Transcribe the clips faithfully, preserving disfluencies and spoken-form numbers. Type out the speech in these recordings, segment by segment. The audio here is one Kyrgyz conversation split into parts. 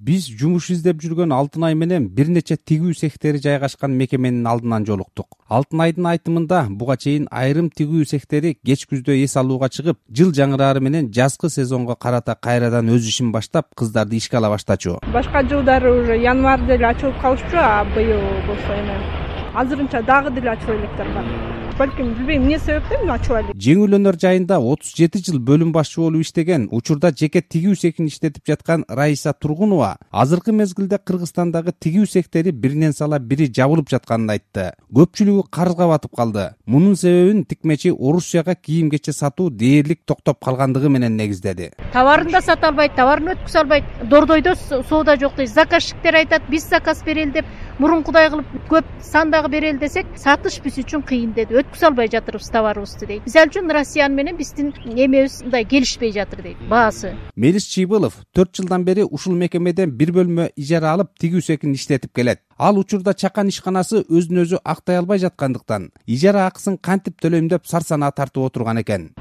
Биз жумуш издеп жүргөн Алтынай менен бир нече тигүү цехтери жайгашкан мекеменин алдынан жолуктук. Алтынайдын айтымында буга чейин айрым тигүү цехтери кеч күздө эс алууга чыгып, жыл жаңырары менен жазкы сезонго карата кайрадан өз ишин баштап, кыздарды ишке ала баштачу. Башка жылдары уже январда эле ачылып калышчу, а быйыл болсо эми азырынча дагы деле ачып электер бар. Балким билбейм эмне себептен ачып элек. Жеңил өнөр жайында отуз жети жыл бөлүм башчы болуп иштеген, учурда жеке тигүү цехин иштетип жаткан Раиса Тургунова азыркы мезгилде Кыргызстандагы тигүү цехтери биринен сала бири жабылып жатканын айтты. Көпчүлүгү карызга батып калды. Мунун себебин тикмечи Орусияга кийим-кече сатуу дээрлик токтоп калгандыгы менен негиздеди. Товарын да сата албайт, товарын өткүзө албайт. Дордойдо соода жок дейт. Заказчиктер айтат, биз заказ берели деп, мурункудай кылып көп сандагы берели десек, сатыш биз үчүн кыйын деди. Өткүзө албай жатырбыз товарыбызды дейт. Мисалы үчүн Россиян менен биздин эмебиз мындай келишпей жатыр дейт, баасы. Мелис Чыйбылов төрт жылдан бери ушул мекемеден бир бөлмө ижара алып тигүү цехин иштетип келет. Ал учурда чакан ишканасы өзүн өзү актай албай жаткандыктан ижара акысын кантип төлөйм деп сарсанаа тартып отурган экен.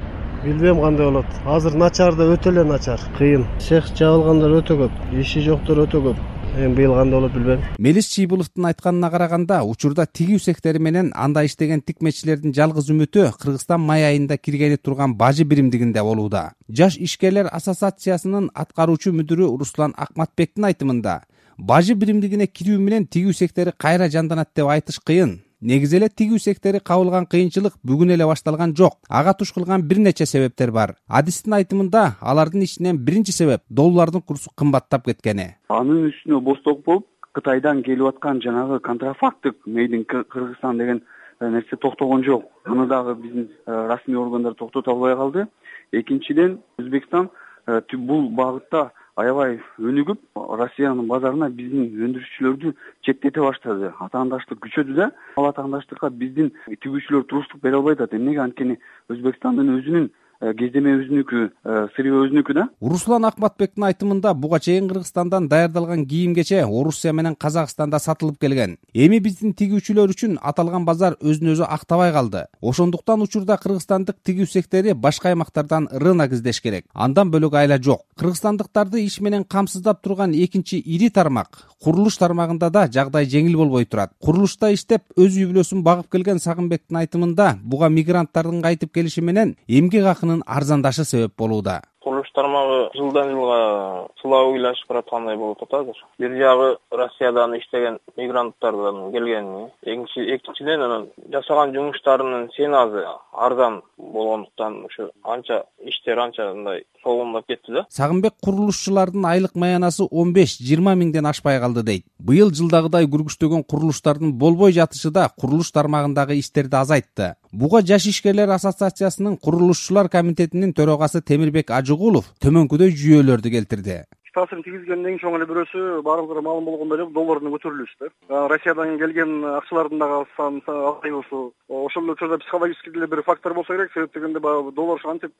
Билбейм кандай болот. Азыр начар да өтө эле начар. Кыйын. Цех жабылгандар өтө көп, иши жоктор өтө көп. Эми быйыл кандай болот билбейм. Мелис Чыйбыловдун айтканына караганда, учурда тигүү цехтери менен анда иштеген тикмечилердин жалгыз үмүтү Кыргызстан май айында киргени турган бажы биримдигинде болууда. Жаш ишкерлер ассоциациясынын аткаруучу мүдүрү Руслан Акматбектин айтымында, бажы биримдигине кирүү менен тигүү цехтери кайра жанданат деп айтыш кыйын. Негизи эле тигүү цехтери кабылган кыйынчылык бүгүн эле башталган жок. Ага туш кылган бир нече себептер бар. Адистин айтымында, алардын ичинен биринчи себеп доллардын курсу кымбаттап кеткени. Анын үстүнө босток болуп, Кытайдан келип аткан жанагы контрафактык мейдин Кыргызстан деген нерсе токтогон жок. Аны дагы биздин расмий органдар токтото албай калды. Экинчиден, Өзбекстан бул багытта аябай өнүгүп, Россиянын базарына биздин өндүрүшчүлөрдү четтете баштады. Атаандаштык күчөдү да, ал атаандаштыкка биздин тигүүчүлөр туруштук бере албай атат. Эмнеге? Анткени Өзбекстандын өзүнүн кездеме өзүнүкү, сырье өзүнүкү да. Руслан Акматбектин айтымында, буга чейин Кыргызстандан даярдалган кийим-кече Орусия менен Казакстанда сатылып келген. Эми биздин тигүүчүлөр үчүн аталган базар өзүн өзү актабай калды. Ошондуктан учурда кыргызстандык тигүү цехтери башка аймактардан рынок издеш керек. Андан бөлөк айла жок. Кыргызстандыктарды иш менен камсыздап турган экинчи ири тармак курулуш тармагында да жагдай жеңил болбой турат. Курулушта иштеп, өз үй бүлөсүн багып келген Сагынбектин айтымында, буга мигранттардын кайтып келиши менен эмгек акынын арзандашы себеп болууда. Курулуш тармагы жылдан жылга сылап ыйлашып бараткандай болуп атат азыр. Бир жагы Россиядан иштеген мигранттардан келген, экинчи экинчиден анан жасаган жумуштарынын сеназы арзан болгондуктан ушу анча иштер анча мындай согумдап кетти да. Сагынбек курулушчулардын айлык маянасы он беш жыйырма миңден ашпай калды дейт. Быйыл жылдагыдай күргүчтөгөн курулуштардын болбой жатышы да курулуш тармагындагы иштерди азайтты. Буга Жаш ишкерлер ассоциациясынын курулушчулар комитетинин төрагасы Темирбек Ажыгулов төмөнкүдөй жүйөлөрдү келтирди. Таасирин тийгизгендин эң чоң эле бирөөсү баарыңыздарга маалым болгондой эле доллардын көтөрүлүшү да. Россиядан келген акчалардын дагы саны азаюусу, ошол учурда психологический деле бир фактор болсо керек. Себеп дегенде баягы доллар антип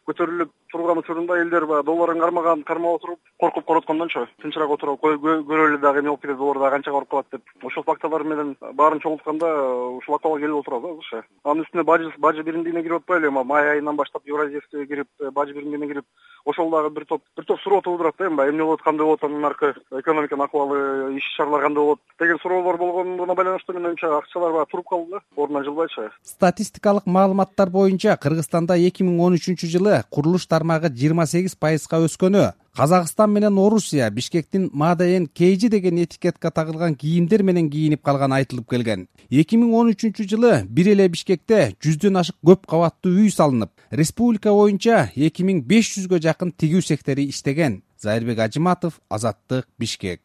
көтөрүлүп турган учурунда элдер баягы долларын кармаган, кармап отуруп, коркуп короткондончу тынчыраак отуруп көрөлү дагы эме болуп кетет, доллар дагы канча барып калат деп. Ошол факторлор менен баарын чогултканда ушул акыбалга келип отурат азырчы. Анын үстүнө бажы бажы биримдигине кирип атпайлы, май айынан баштап Евразийскийге кирип, бажы биримдигине кирип, ошол дагы бир топ бир топ суроо туудурат да. Эми эмне болот, кандай болот, анын аркы экономиканын акыбалы, иш чаралар кандай болот деген суроолор болгондуна байланыштуу менин оюмча акчалар баягы туруп калды да, ордунан жылбайчы. Статистикалык маалыматтар боюнча Кыргызстанда эки миң он үчүнчү жылы курулуш тармагы жыйырма сегиз пайызга өскөнү, Казакстан менен Орусия Бишкектин Мадайен Кейжи деген этикетка тагылган кийимдер менен кийинип калганы айтылып келген. эки миң он үчүнчү жылы бир эле Бишкекте жүздөн ашык көп кабаттуу үй салынып, республика боюнча эки миң беш жүзгө жакын тигүү цехтери иштеген. Зайырбек Ажыматов, Азаттык, Бишкек.